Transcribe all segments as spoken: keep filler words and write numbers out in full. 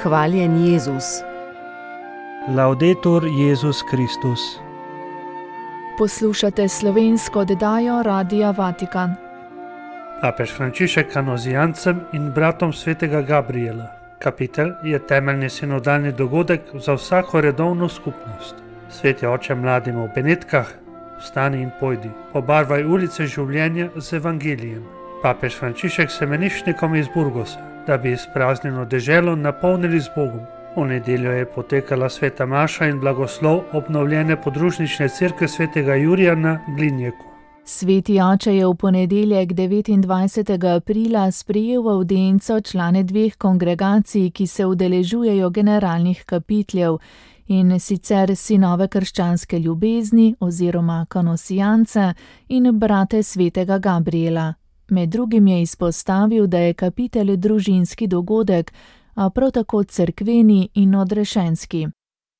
Hvaljen Jezus. Laudetur Jezus Kristus. Poslušate slovensko oddajo Radia Vatikan. Papež Frančišek kanozijancem in bratom svetega Gabriela. Kapitel je temeljni sinodalni dogodek za vsako redovno skupnost. Sveti oče mladim v Benetkah, vstani in pojdi, pobarvaj ulice življenja z evangelijem. Papež Frančišek semenišnikom iz Burgosa, da bi izpraznjeno deželo napolnili z Bogom. V nedeljo je potekala sveta maša in blagoslov obnovljene podružnične cerkve svetega Jurija na Glinjeku. Sveti oče je v ponedeljek devetindvajsetega aprila sprejel v avdienco člane dveh kongregacij, ki se udeležujejo generalnih kapitljev, in sicer sinove krščanske ljubezni oziroma kanosijance in brate svetega Gabriela. Med drugim je izpostavil, da je kapitelj družinski dogodek, a prav tako cerkveni in odrešenski.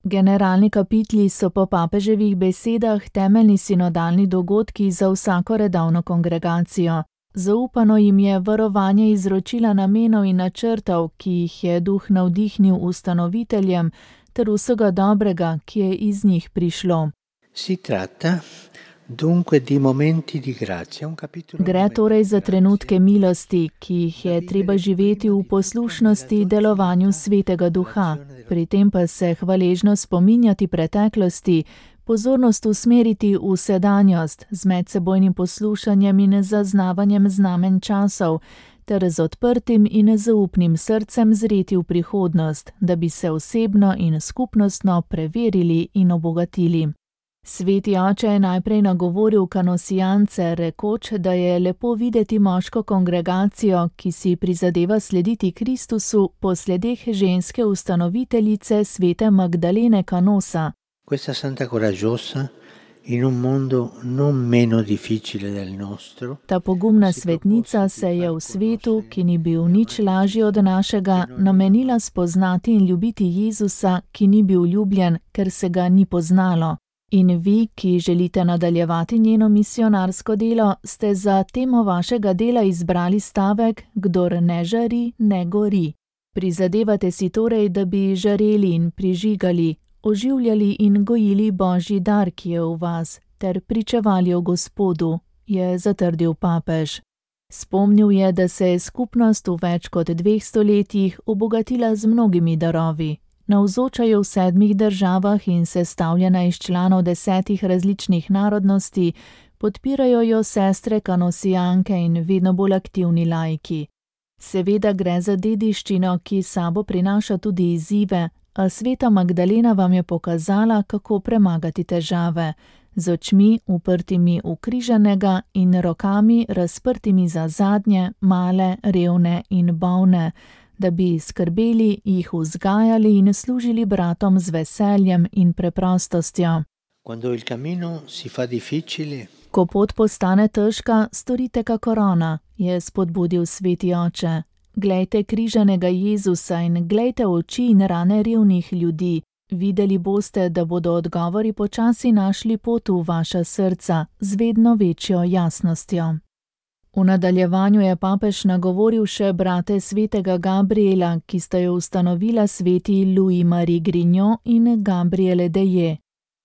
Generalni kapitli so po papeževih besedah temeljni sinodalni dogodki za vsako redovno kongregacijo. Zaupano jim je varovanje izročila namenov in načrtov, ki jih je duh navdihnil ustanoviteljem, ter vsega dobrega, ki je iz njih prišlo. Si tratta dunque di momenti di grazia, un capitolo. Gre torej za trenutke milosti, ki jih je treba živeti v poslušnosti delovanju svetega duha, pri tem pa se hvaležno spominjati preteklosti, pozornost usmeriti v sedanjost z medsebojnim poslušanjem in zaznavanjem znamen časov, ter z odprtim in zaupnim srcem zreti v prihodnost, da bi se osebno in skupnostno preverili in obogatili. Sveti oče je najprej nagovoril kanosijance, rekoč, da je lepo videti moško kongregacijo, ki si prizadeva slediti Kristusu po sledeh ženske ustanoviteljice svete Magdalene Canosa. Questa santa coraggiosa in un mondo non meno difficile del nostro. Ta pogumna svetnica se je v svetu, ki ni bil nič lažji od našega, namenila spoznati in ljubiti Jezusa, ki ni bil ljubljen, ker se ga ni poznalo. In vi, ki želite nadaljevati njeno misionarsko delo, ste za temo vašega dela izbrali stavek: kdor ne žari, ne gori. Prizadevate si torej, da bi žareli in prižigali, oživljali in gojili Božji dar, ki je v vas, ter pričevali o Gospodu, je zatrdil papež. Spomnil je, da se je skupnost v več kot dveh stoletjih obogatila z mnogimi darovi. Navzočajo v sedmih državah in sestavljena iz članov desetih različnih narodnosti, podpirajo jo sestre kanosijanke in vedno bolj aktivni laiki. Seveda gre za dediščino, ki sabo prinaša tudi izzive, a sveta Magdalena vam je pokazala, kako premagati težave, z očmi uprtimi v križanega in rokami razprtimi za zadnje, male, revne in bolne, da bi skrbeli, jih vzgajali in služili bratom z veseljem in preprostostjo. Quando il cammino si fa difficile, Ko pot postane težka, storite kakor ona, je spodbudil sveti oče. Glejte križanega Jezusa in glejte oči in rane revnih ljudi. Videli boste, da bodo odgovori počasi našli pot v vaša srca z vedno večjo jasnostjo. V nadaljevanju je papež nagovoril še brate svetega Gabriela, ki sta jo ustanovila sveti Louis-Marie Grignon in Gabriele Deje.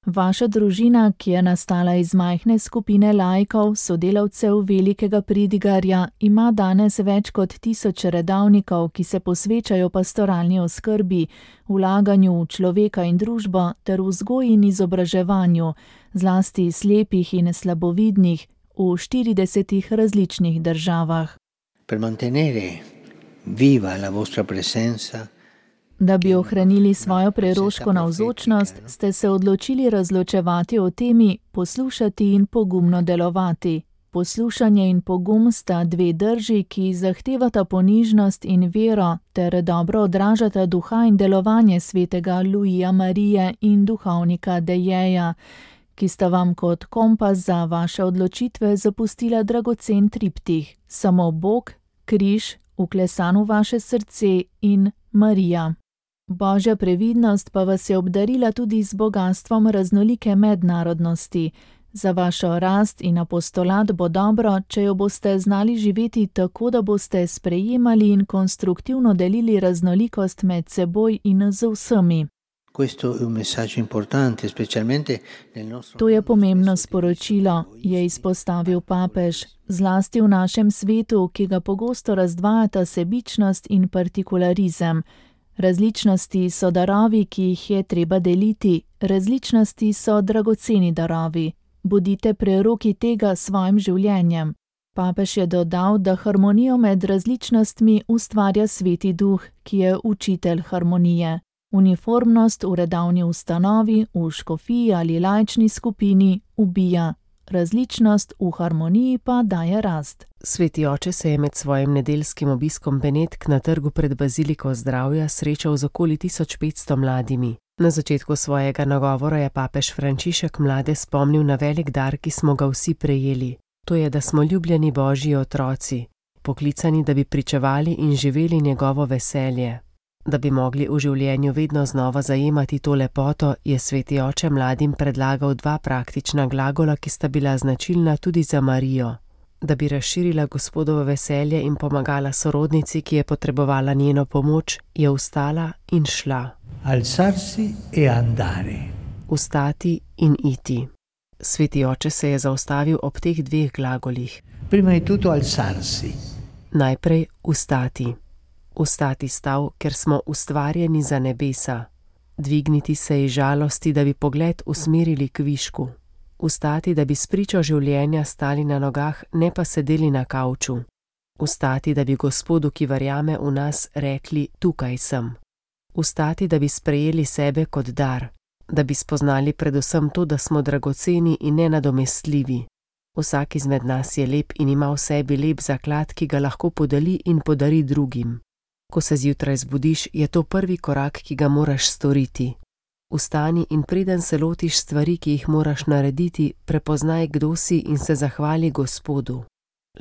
Vaša družina, ki je nastala iz majhne skupine laikov, sodelavcev velikega pridigarja, ima danes več kot tisoč redavnikov, ki se posvečajo pastoralni oskrbi, vlaganju v človeka in družbo ter vzgoji in izobraževanju, zlasti slepih in slabovidnih, v štiridesetih različnih državah. per mantenere viva la vostra presenza. Da bi ohranili svojo preroško navzočnost, ste se odločili razločevati o temi, poslušati in pogumno delovati. Poslušanje in pogum sta dve drži, ki zahtevata ponižnost in vero, ter dobro odražata duha in delovanje svetega Louisa Marije in duhovnika Dejeja, ki sta vam kot kompas za vaše odločitve zapustila dragocen triptih: samo Bog, križ, vklesan v vaše srce in Marija. Božja previdnost pa vas je obdarila tudi z bogastvom raznolike mednarodnosti. Za vašo rast in apostolat bo dobro, če jo boste znali živeti tako, da boste sprejemali in konstruktivno delili raznolikost med seboj in z vsemi. To je pomembno sporočilo, je izpostavil papež, zlasti v našem svetu, ki ga pogosto razdvajata sebičnost in partikularizem. Različnosti so darovi, ki jih je treba deliti, različnosti so dragoceni darovi. Bodite preroki tega s svojim življenjem. Papež je dodal, da harmonijo med različnostmi ustvarja Sveti Duh, ki je učitelj harmonije. Uniformnost v redavni ustanovi, v škofiji ali laični skupini ubija. Različnost v harmoniji pa daje rast. Sveti oče se je med svojim nedeljskim obiskom Benetk na trgu pred Baziliko zdravja srečal z okoli tisoč petsto mladimi. Na začetku svojega nagovora je papež Frančišek mlade spomnil na velik dar, ki smo ga vsi prejeli. To je, da smo ljubljeni Božji otroci, poklicani, da bi pričevali in živeli njegovo veselje. Da bi mogli v življenju vedno znova zajemati to lepoto, je Sveti oče mladim predlagal dva praktična glagola, ki sta bila značilna tudi za Marijo. Da bi razširila Gospodovo veselje in pomagala sorodnici, ki je potrebovala njeno pomoč, je vstala in šla. Alzarsi e andare. Vstati in iti. Sveti oče se je zaustavil ob teh dveh glagolih. Prima di tutto alzarsi. Najprej vstati. Vstati stav, ker smo ustvarjeni za nebesa. Dvigniti se iz žalosti, da bi pogled usmerili k višku. Vstati, da bi spričo življenja stali na nogah, ne pa sedeli na kavču. Vstati, da bi Gospodu, ki verjame v nas, rekli: tukaj sem. Vstati, da bi sprejeli sebe kot dar, da bi spoznali predvsem to, da smo dragoceni in nenadomestljivi. Vsak izmed nas je lep in ima v sebi lep zaklad, ki ga lahko podeli in podari drugim. Ko se zjutraj zbudiš, je to prvi korak, ki ga moraš storiti. Vstani in preden se lotiš stvari, ki jih moraš narediti, prepoznaj, kdo si in se zahvali Gospodu.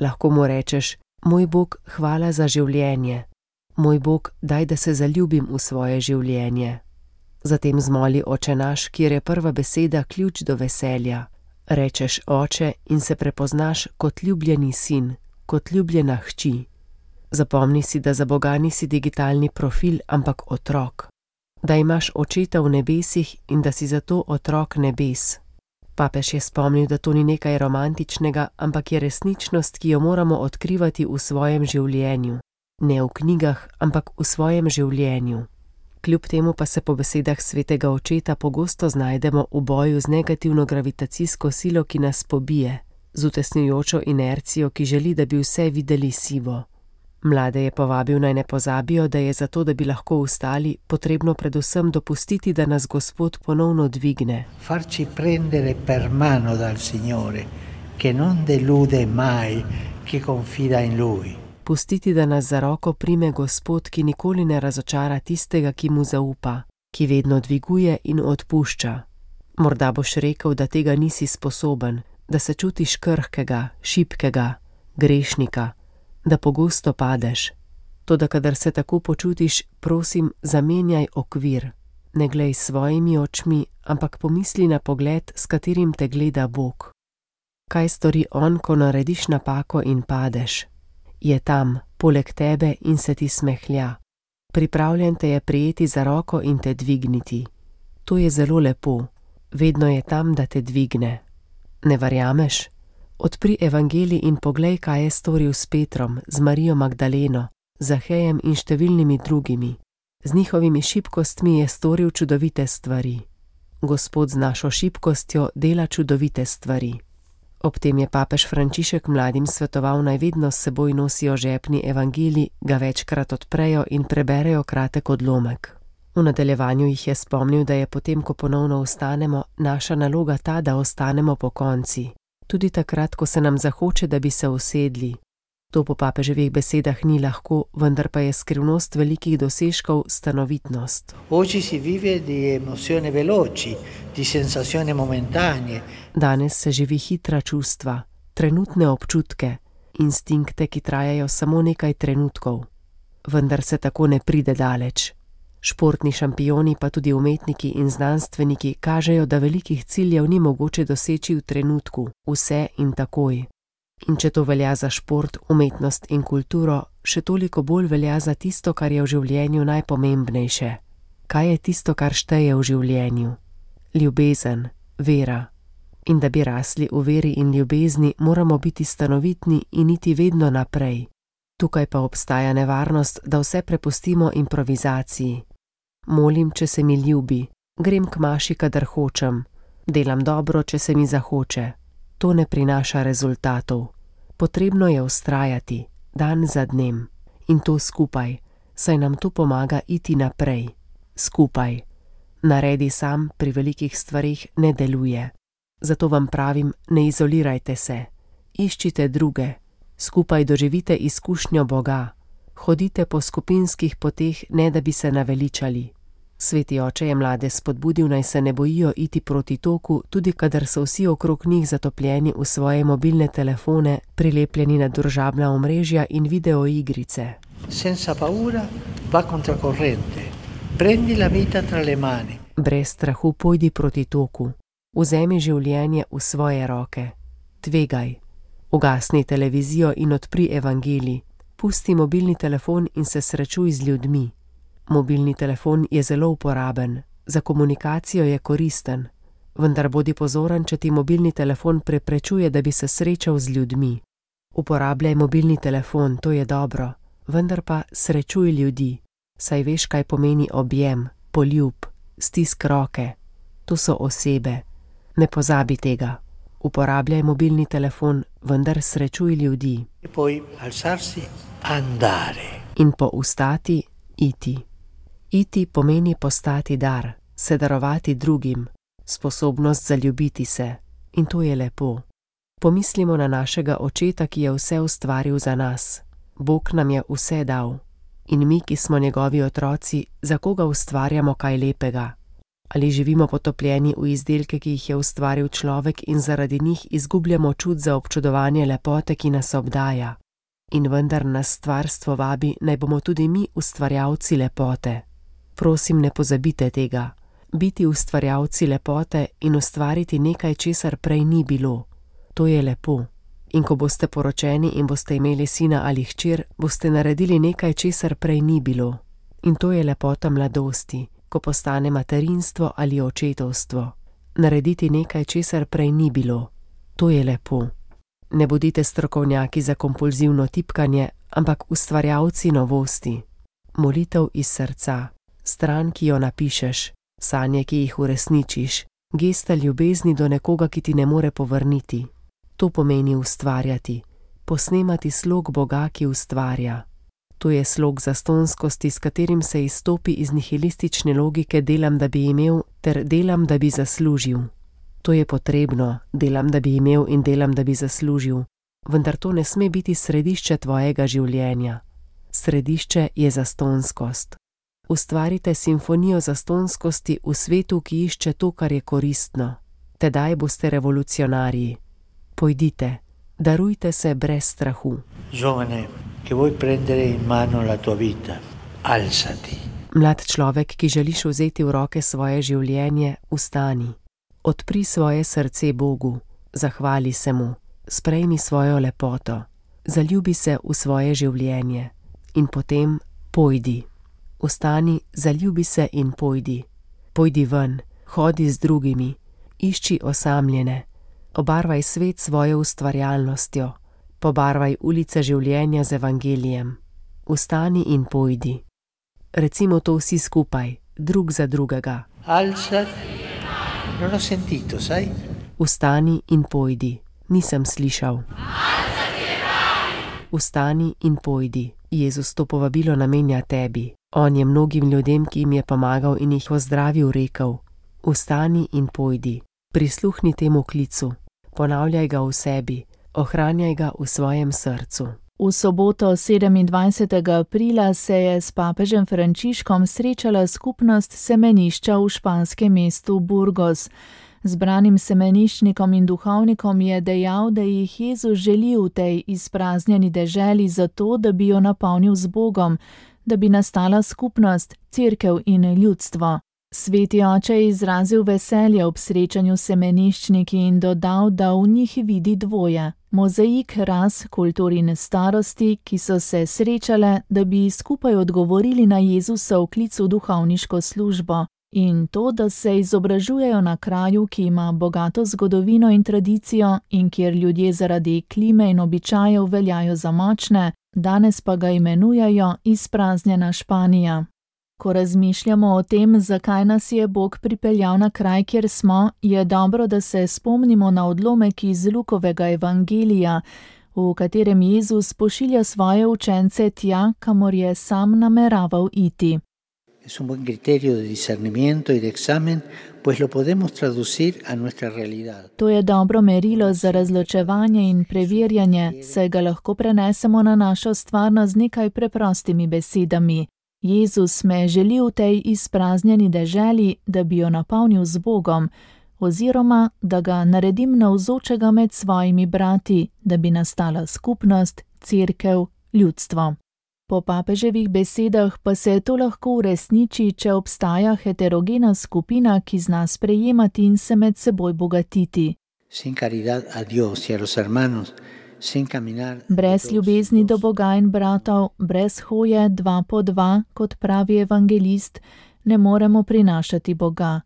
Lahko mu rečeš: moj Bog, hvala za življenje. Moj Bog, daj, da se zaljubim v svoje življenje. Zatem zmoli Oče naš, kjer je prva beseda ključ do veselja. Rečeš Oče in se prepoznaš kot ljubljeni sin, kot ljubljena hči. Zapomni si, da za Boga nisi digitalni profil, ampak otrok. Da imaš Očeta v nebesih in da si zato otrok nebes. Papež je spomnil, da to ni nekaj romantičnega, ampak je resničnost, ki jo moramo odkrivati v svojem življenju. Ne v knjigah, ampak v svojem življenju. Kljub temu pa se po besedah svetega očeta pogosto znajdemo v boju z negativno gravitacijsko silo, ki nas pobije, z utesnjujočo inercijo, ki želi, da bi vse videli sivo. Mlade je povabil, naj ne pozabijo, da je zato, da bi lahko vstali, potrebno predvsem dopustiti, da nas Gospod ponovno dvigne. Farci prendere per mano dal Signore, che non delude mai chi confida in Lui. Pustiti, da nas za roko prime Gospod, ki nikoli ne razočara tistega, ki mu zaupa, ki vedno dviguje in odpušča. Morda boš rekel, da tega nisi sposoben, da se čutiš krhkega, šibkega, grešnika, da pogosto padeš. Toda kadar se tako počutiš, prosim, zamenjaj okvir. Ne glej s svojimi očmi, ampak pomisli na pogled, s katerim te gleda Bog. Kaj stori On, ko narediš napako in padeš? Je tam, poleg tebe in se ti smehlja. Pripravljen te je prijeti za roko in te dvigniti. To je zelo lepo. Vedno je tam, da te dvigne. Ne verjameš? Odpri evangelij in poglej, kaj je storil s Petrom, z Marijo Magdaleno, Zahejem in številnimi drugimi. Z njihovimi šibkostmi je storil čudovite stvari. Gospod z našo šibkostjo dela čudovite stvari. Ob tem je papež Frančišek mladim svetoval, naj vedno s seboj nosijo žepni evangelij, ga večkrat odprejo in preberejo kratek odlomek. V nadaljevanju jih je spomnil, da je potem, ko ponovno vstanemo, naša naloga ta, da ostanemo pokonci. Tudi takrat, ko se nam zahoče, da bi se usedli. To po papeževih besedah ni lahko, vendar pa je skrivnost velikih dosežkov stanovitnost. Oggi si vive di emozioni veloci, di sensazioni momentanee. Danes se živi hitra čustva, trenutne občutke, instinkte, ki trajajo samo nekaj trenutkov. Vendar se tako ne pride daleč. Športni šampioni, pa tudi umetniki in znanstveniki kažejo, da velikih ciljev ni mogoče doseči v trenutku, vse in takoj. In če to velja za šport, umetnost in kulturo, še toliko bolj velja za tisto, kar je v življenju najpomembnejše. Kaj je tisto, kar šteje v življenju? Ljubezen, vera. In da bi rasli v veri in ljubezni, moramo biti stanovitni in iti vedno naprej. Tukaj pa obstaja nevarnost, da vse prepustimo improvizaciji. Molim, če se mi ljubi, grem k maši, kadar hočem, delam dobro, če se mi zahoče. To ne prinaša rezultatov. Potrebno je vztrajati, dan za dnem. In to skupaj, saj nam to pomaga iti naprej. Skupaj. Naredi sam pri velikih stvarih ne deluje. Zato vam pravim, ne izolirajte se. Iščite druge. Skupaj doživite izkušnjo Boga. Hodite po skupinskih poteh, ne da bi se naveličali. Sveti oče je mlade spodbudil, naj se ne bojijo iti proti toku, tudi kadar so vsi okrog njih zatopljeni v svoje mobilne telefone, prilepljeni na družabna omrežja in videoigrice. Senza paura, va contracorrente. Prendi la vita tra le mani. Brez strahu pojdi proti toku. Vzemi življenje v svoje roke. Tvegaj. Ugasni televizijo in odpri evangelij. Pusti mobilni telefon in se srečuj z ljudmi. Mobilni telefon je zelo uporaben, za komunikacijo je koristen, vendar bodi pozoren, če ti mobilni telefon preprečuje, da bi se srečal z ljudmi. Uporabljaj mobilni telefon, to je dobro, vendar pa srečuj ljudi, saj veš, kaj pomeni objem, poljub, stisk roke. To so osebe. Ne pozabi tega. Uporabljaj mobilni telefon, vendar srečuj ljudi. E poi alzarsi, andare. In po vstati, iti. Iti pomeni postati dar, se darovati drugim, sposobnost zaljubiti se. In to je lepo. Pomislimo na našega očeta, ki je vse ustvaril za nas. Bog nam je vse dal. In mi, ki smo njegovi otroci, za koga ustvarjamo kaj lepega? Ali živimo potopljeni v izdelke, ki jih je ustvaril človek in zaradi njih izgubljamo čut za občudovanje lepote, ki nas obdaja? In vendar nas stvarstvo vabi, naj bomo tudi mi ustvarjalci lepote. Prosim, ne pozabite tega. Biti ustvarjalci lepote in ustvariti nekaj, česar prej ni bilo. To je lepo. In ko boste poročeni in boste imeli sina ali hčer, boste naredili nekaj, česar prej ni bilo. In to je lepota mladosti, ko postane materinstvo ali očetovstvo. Narediti nekaj, česar prej ni bilo. To je lepo. Ne bodite strokovnjaki za kompulzivno tipkanje, ampak ustvarjalci novosti. Molitev iz srca, stran, ki jo napišeš, sanje, ki jih uresničiš, gesta ljubezni do nekoga, ki ti ne more povrniti. To pomeni ustvarjati, posnemati slog Boga, ki ustvarja. To je slog zastonskosti, s katerim se izstopi iz nihilistične logike delam, da bi imel, ter delam, da bi zaslužil. To je potrebno, delam, da bi imel in delam, da bi zaslužil, vendar to ne sme biti središče tvojega življenja. Središče je zastonskost. Ustvarite simfonijo zastonskosti v svetu, ki išče to, kar je koristno. Tedaj boste revolucionarji. Pojdite, darujte se brez strahu. Giovane, che vuoi prendere in mano la tua vita, alzati. Mlad človek, ki želiš vzeti v roke svoje življenje, vstani. Odpri svoje srce Bogu, zahvali se mu, sprejmi svojo lepoto, zaljubi se v svoje življenje in potem pojdi. Vstani, zaljubi se in pojdi. Pojdi ven, hodi z drugimi, išči osamljene, obarvaj svet svojo ustvarjalnostjo, pobarvaj ulice življenja z evangelijem. Vstani in pojdi. Recimo to vsi skupaj, drug za drugega. Alzati. Non ho sentito, sai? Vstani in pojdi. Nisem slišal. Vstani in pojdi. Jezus to povabilo namenja tebi. On je mnogim ljudem, ki jim je pomagal in jih pozdravil, rekel: Vstani in pojdi. Prisluhni temu klicu. Ponavljaj ga v sebi. Ohranjaj ga v svojem srcu. V soboto sedemindvajsetega aprila se je s papežem Frančiškom srečala skupnost semenišča v španskem mestu Burgos. Zbranim semeniščnikom in duhovnikom je dejal, da jih Jezus želi v tej izpraznjeni deželi zato, da bi jo napolnil z Bogom, da bi nastala skupnost, cerkev in ljudstvo. Sveti oče je izrazil veselje ob srečanju s semeniščniki in dodal, da v njih vidi dvoje. Mozaik ras, kultur in starosti, ki so se srečale, da bi skupaj odgovorili na Jezusov klic v duhovniško službo. In to, da se izobražujejo na kraju, ki ima bogato zgodovino in tradicijo in kjer ljudje zaradi klime in običajev veljajo za močne, danes pa ga imenujejo izpraznjena Španija. Ko razmišljamo o tem, zakaj nas je Bog pripeljal na kraj, kjer smo, je dobro, da se spomnimo na odlomek iz Lukovega evangelija, v katerem Jezus pošilja svoje učence tja, kamor je sam nameraval iti. Es un buen criterio de discernimiento y de examen, pues lo podemos traducir a nuestra realidad. To je dobro merilo za razločevanje in preverjanje, saj ga lahko prenesemo na našo stvarnost z nekaj preprostimi besedami. Jezus me želi v tej izpraznjeni deželi, da bi jo napolnil z Bogom, oziroma da ga naredim navzočega med svojimi brati, da bi nastala skupnost, cerkev, ljudstvo. Po papeževih besedah pa se to lahko uresniči, če obstaja heterogena skupina, ki zna sprejemati in se med seboj bogatiti. Sin caridad a Dios y a los hermanos, sin caminar... Brez ljubezni do Boga in bratov, brez hoje dva po dva, kot pravi evangelist, ne moremo prinašati Boga.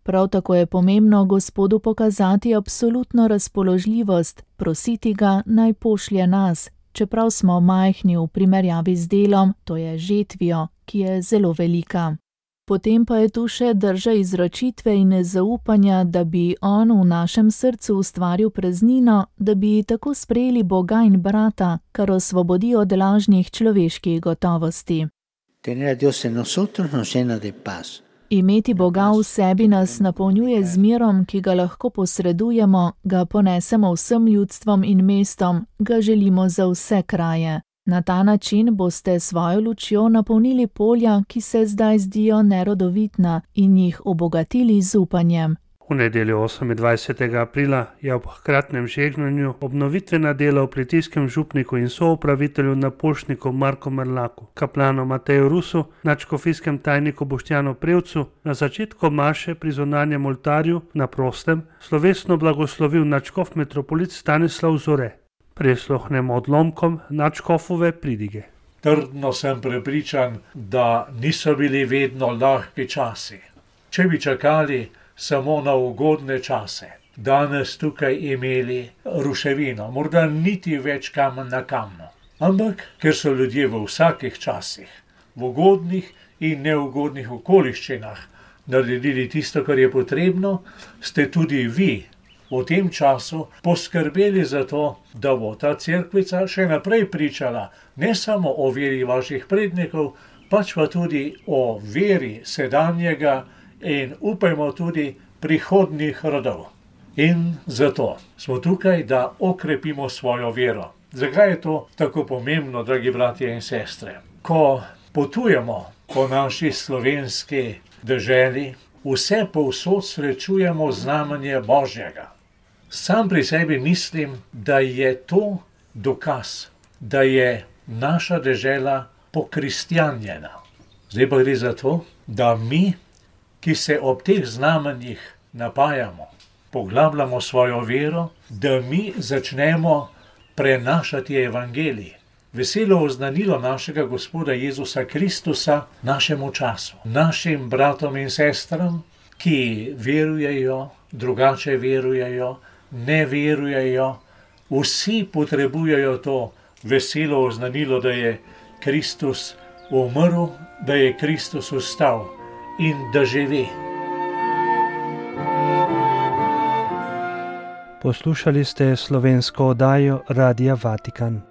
Prav tako je pomembno Gospodu pokazati absolutno razpoložljivost, prositi ga, naj pošlje nas, čeprav smo majhni v primerjavi z delom, to je žetvijo, ki je zelo velika. Potem pa je tu še drža izročitve in zaupanja, da bi on v našem srcu ustvaril praznino, da bi tako sprejeli Boga in brata, kar osvobodi od lažnih človeških gotovosti. Tener a Dios en nosotros nos llena de paz. Imeti Boga v sebi nas napolnjuje z mirom, ki ga lahko posredujemo, ga ponesemo vsem ljudstvom in mestom, ga želimo za vse kraje. Na ta način boste svojo lučjo napolnili polja, ki se zdaj zdijo nerodovitna, in jih obogatili z upanjem. V nedeljo osemindvajsetega aprila je ob hkratnem žegnanju obnovitvena dela v Plitijskem župniku in soupravitelju na Poštniku Marku Merlaku, kaplanu Mateju Rusu, nadškofijskem tajniku Boštjanu Prevcu, na začetku maše pri zunanjem oltarju na prostem slovesno blagoslovil nadškof metropolit Stanislav Zore. Prisluhnemo odlomkom nadškofove pridige. Trdno sem prepričan, da niso bili vedno lahki časi. Če bi čakali samo na ugodne čase, danes tukaj imeli ruševino, morda niti več kamen na kamnu. Ampak, ker so ljudje v vsakih časih, v ugodnih in neugodnih okoliščinah naredili tisto, kar je potrebno, ste tudi vi v tem času poskrbeli za to, da bo ta cerkvica še naprej pričala ne samo o veri vaših prednikov, pač pa tudi o veri sedanjega in upajmo tudi prihodnjih rodov. In zato smo tukaj, da okrepimo svojo vero. Zakaj je to tako pomembno, dragi bratje in sestre? Ko potujemo po naši slovenski deželi, vse povsod srečujemo znamenje Božjega. Sam pri sebi mislim, da je to dokaz, da je naša dežela pokristjanjena. Zdaj pa gre za to, da mi, ki se ob teh znamenjih napajamo, poglabljamo svojo vero, da mi začnemo prenašati evangelij. Veselo oznanilo našega Gospoda Jezusa Kristusa našemu času, našim bratom in sestram, ki verujejo, drugače verujejo, ne verujejo, vsi potrebujejo to veselo oznanilo, da je Kristus umrl, da je Kristus vstal in da živi. Poslušali ste slovensko oddajo Radia Vatikan.